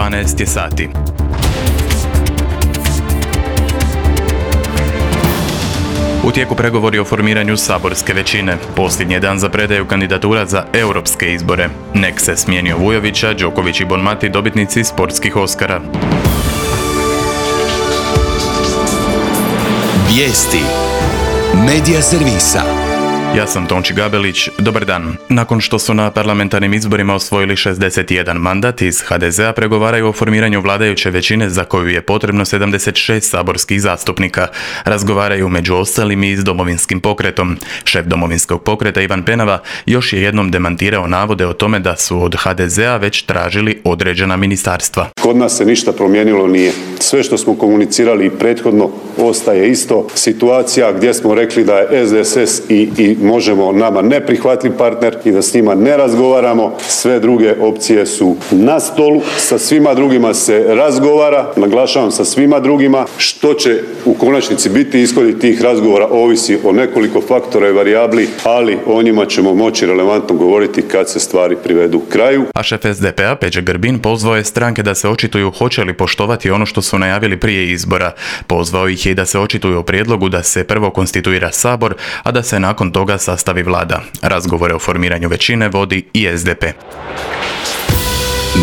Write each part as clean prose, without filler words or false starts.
12 je sati. U tijeku pregovori o formiranju saborske većine. Posljednji dan za predaju kandidatura za europske izbore. Nek se smijenio Vujovića, Đoković i Bonmati dobitnici sportskih Oskara. Vijesti Medija servisa. Ja sam Tonči Gabelić, dobar dan. Nakon što su na parlamentarnim izborima osvojili 61 mandat, iz HDZ-a pregovaraju o formiranju vladajuće većine za koju je potrebno 76 saborskih zastupnika. Razgovaraju među ostalim i s Domovinskim pokretom. Šef Domovinskog pokreta Ivan Penava još je jednom demantirao navode o tome da su od HDZ-a već tražili određena ministarstva. Kod nas se ništa promijenilo nije. Sve što smo komunicirali i prethodno ostaje isto. Situacija gdje smo rekli da je SDSS i Možemo nama neprihvatljiv partner i da s njima ne razgovaramo. Sve druge opcije su na stolu, sa svima drugima se razgovara, naglašavam sa svima drugima. Što će u konačnici biti ishodi tih razgovora ovisi o nekoliko faktora i varijabli, ali o njima ćemo moći relevantno govoriti kad se stvari privedu kraju. A šef SDP-a Peđa Grbin pozvao je stranke da se očituju hoće li poštovati ono što su najavili prije izbora. Pozvao ih je da se očituju o prijedlogu da se prvo konstituira Sabor, a da se nakon toga sastavi vlada. Razgovore o formiranju većine vodi i SDP.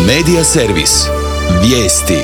Medija servis. Vijesti.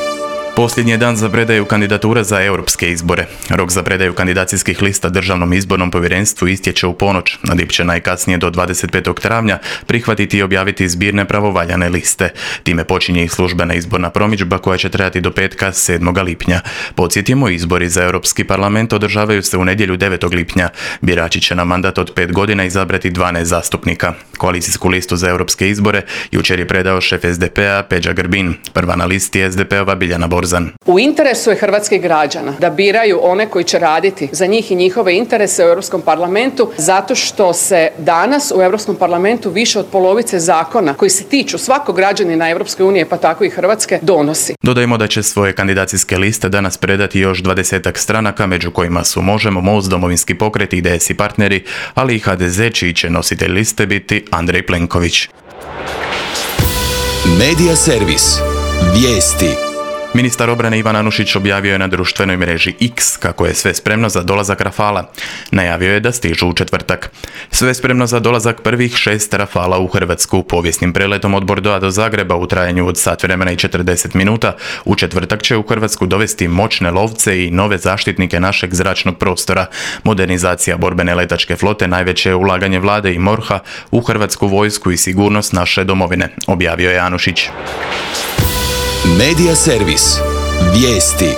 Posljednji je dan za predaju kandidatura za europske izbore. Rok za predaju kandidacijskih lista Državnom izbornom povjerenstvu istječe u ponoć. DIP će najkasnije do 25. travnja prihvatiti i objaviti zbirne pravovaljane liste. Time počinje i službena izborna promidžba koja će trajati do petka 7. lipnja. Podsjetimo, izbori za Europski parlament održavaju se u nedjelju 9. lipnja. Birači će na mandat od 5 godina izabrati 12 zastupnika. Koalicijsku listu za europske izbore jučer je predao šef SDP-a Peđa Grbin. Prva na listi je SDP-ova Biljana Borzan. U interesu je hrvatskih građana da biraju one koji će raditi za njih i njihove interese u Europskom parlamentu, zato što se danas u Europskom parlamentu više od polovice zakona koji se tiču svakog građanina Europske unije, pa tako i Hrvatske, donosi. Dodajmo da će svoje kandidacijske liste danas predati još 20-ak stranaka, među kojima su Možemo, Most, Domovinski pokret, IDS i partneri, ali i HDZ, čiji će nositelj liste biti Andrej Plenković. Medija servis. Vijesti. Ministar obrane Ivan Anušić objavio je na društvenoj mreži X kako je sve spremno za dolazak Rafala. Najavio je da stižu u četvrtak. Sve spremno za dolazak prvih 6 Rafala u Hrvatsku. Povijesnim preletom od Bordeauxa do Zagreba u trajanju od sat vremena i 40 minuta u četvrtak će u Hrvatsku dovesti moćne lovce i nove zaštitnike našeg zračnog prostora. Modernizacija borbene letačke flote najveće je ulaganje vlade i MORH-a u Hrvatsku vojsku i sigurnost naše domovine, objavio je Anušić. Medija servis. Vijesti.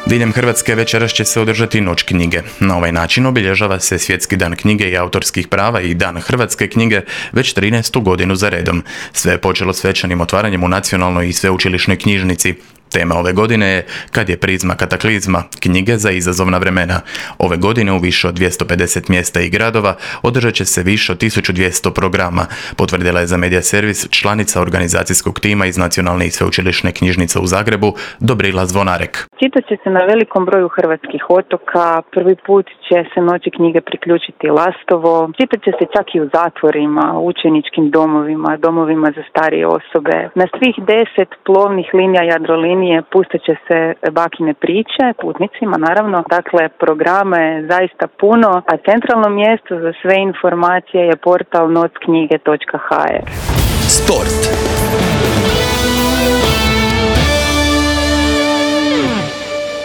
Diljem Hrvatske večeras će se održati Noć knjige. Na ovaj način obilježava se Svjetski dan knjige i autorskih prava i Dan hrvatske knjige već 13. godinu za redom. Sve je počelo svečanim otvaranjem u Nacionalnoj i sveučilišnoj knjižnici. Tema ove godine je Kad je prizma kataklizma, knjige za izazovna vremena. Ove godine u više od 250 mjesta i gradova održat će se više od 1200 programa, potvrdila je za Medija servis članica organizacijskog tima iz Nacionalne i sveučilišne knjižnice u Zagrebu, Dobrila Zvonarek. Čitat će se na velikom broju hrvatskih otoka, prvi put će se Noći knjige priključiti Lastovo, čitat će se čak i u zatvorima, učeničkim domovima, domovima za starije osobe. Na svih 10 plovnih linija Jadrolinije pustit će se bakine priče, putnicima naravno. Dakle, programa je zaista puno, a centralno mjesto za sve informacije je portal nocknjige.hr. Sport.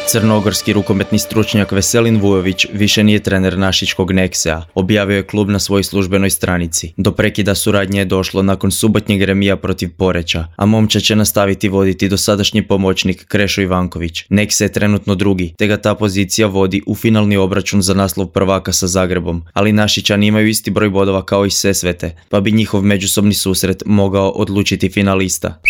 Crnogorski rukometni stručnjak Veselin Vujović više nije trener našičkog Neksea, objavio je klub na svojoj službenoj stranici. Do prekida suradnje je došlo nakon subotnjeg remija protiv Poreča, a momčad će nastaviti voditi dosadašnji pomoćnik Krešo Ivanković. Nekse je trenutno drugi, te ga ta pozicija vodi u finalni obračun za naslov prvaka sa Zagrebom, ali Našičani imaju isti broj bodova kao i Sesvete, pa bi njihov međusobni susret mogao odlučiti finalista.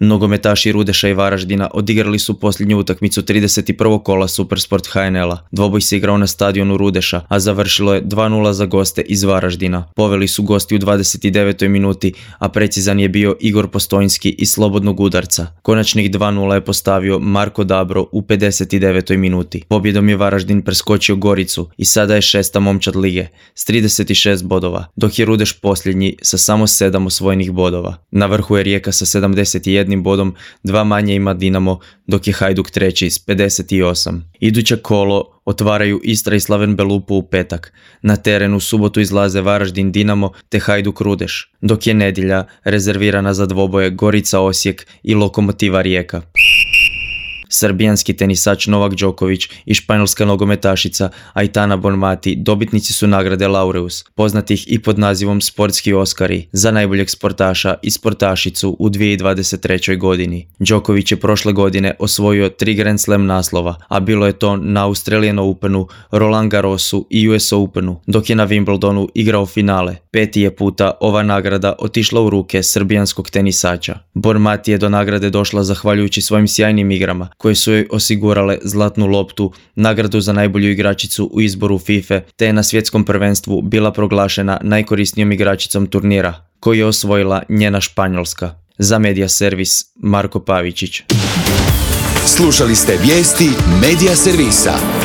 Nogometaši Rudeša i Varaždina odigrali su posljednju utakmicu 31. kola Supersport HNL-a. Dvoboj se igrao na stadionu Rudeša, a završilo je 2:0 za goste iz Varaždina. Poveli su gosti u 29. minuti, a precizan je bio Igor Postojnski iz slobodnog udarca. Konačnih 2:0 je postavio Marko Dabro u 59. minuti. Pobjedom je Varaždin preskočio Goricu i sada je 6. momčad lige s 36 bodova, dok je Rudeš posljednji sa samo 7 osvojenih bodova. Na vrhu je Rijeka sa 71 51 bodom, 2 manje ima Dinamo, dok je Hajduk treći s 58. Iduće kolo otvaraju Istra i Slaven Belupo u petak. Na terenu u subotu izlaze Varaždin Dinamo te Hajduk Rudeš, dok je nedjelja rezervirana za dvoboje Gorica Osijek i Lokomotiva Rijeka. Srbijanski tenisač Novak Đoković i španjolska nogometašica Aitana Bonmati dobitnici su nagrade Laureus, poznatih i pod nazivom Sportski Oskari, za najboljeg sportaša i sportašicu u 2023. godini. Đoković je prošle godine osvojio 3 Grand Slam naslova, a bilo je to na Australian Openu, Roland Garrosu i US Openu, dok je na Wimbledonu igrao finale. 5. je puta ova nagrada otišla u ruke srbijanskog tenisača. Bonmati je do nagrade došla zahvaljujući svojim sjajnim igrama, koje su joj osigurale zlatnu loptu, nagradu za najbolju igračicu u izboru FIFA, te je na svjetskom prvenstvu bila proglašena najkorisnijom igračicom turnira, koju je osvojila njena Španjolska. Za Media Servis, Marko Pavičić. Slušali ste vijesti Media Servisa.